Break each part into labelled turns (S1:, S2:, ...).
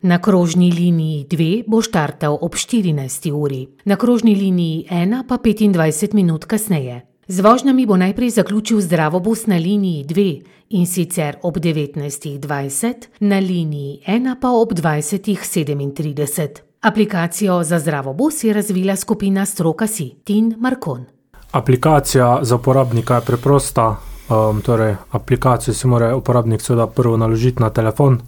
S1: Na krožni liniji 2 bo štartal ob 14. uri, na krožni liniji 1 pa 25 minut kasneje. Z vožnjami bo najprej zaključil Zdravobus na liniji 2, in sicer ob 19:20, na liniji 1 pa ob 20:37. Aplikacijo za Zdravobus je razvila skupina Stroka.si. Tin Markon.
S2: Aplikacija za uporabnika je preprosta. Torej, aplikacijo si mora uporabnik seveda prvo naložiti na telefon,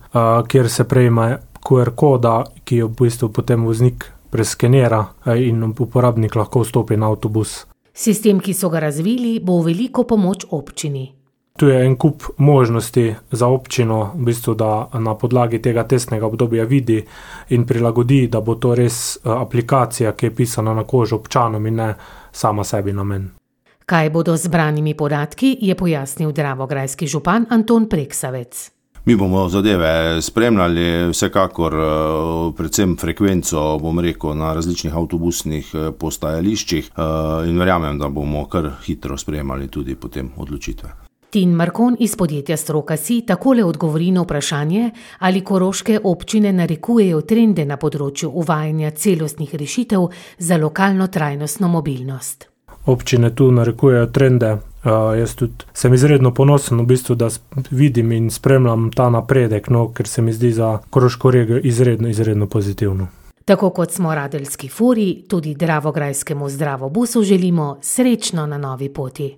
S2: kjer se prejme QR koda, ki jo v bistvu potem voznik preskenira in uporabnik lahko vstopi na avtobus.
S1: Sistem, ki so ga razvili, bo v veliko pomoč občini.
S2: Tu je en kup možnosti za občino, v bistvu, da na podlagi tega testnega obdobja vidi in prilagodi, da bo to res aplikacija, ki je pisana na kožo občanom in ne sama sebi namen.
S1: Kaj bodo z zbranimi podatki, je pojasnil dravograjski župan Anton Preksavec.
S3: Mi bomo zadeve spremljali, vsekakor predvsem frekvenco, bom rekel, na različnih avtobusnih postajališčih in verjamem, da bomo kar hitro sprejemali tudi potem odločitve.
S1: Tin Markon iz podjetja Stroka.si takole odgovori na vprašanje, ali koroške občine narekujejo trende na področju uvajanja celostnih rešitev za lokalno trajnostno mobilnost.
S2: Občine tu narekujejo trende. Jaz tudi sem izredno ponosen, v bistvu, da vidim in spremljam ta napredek, ker se mi zdi za koroško regijo izredno pozitivno.
S1: Tako kot smo Radeljski furi, tudi dravograjskemu Zdravobusu želimo srečno na novi poti.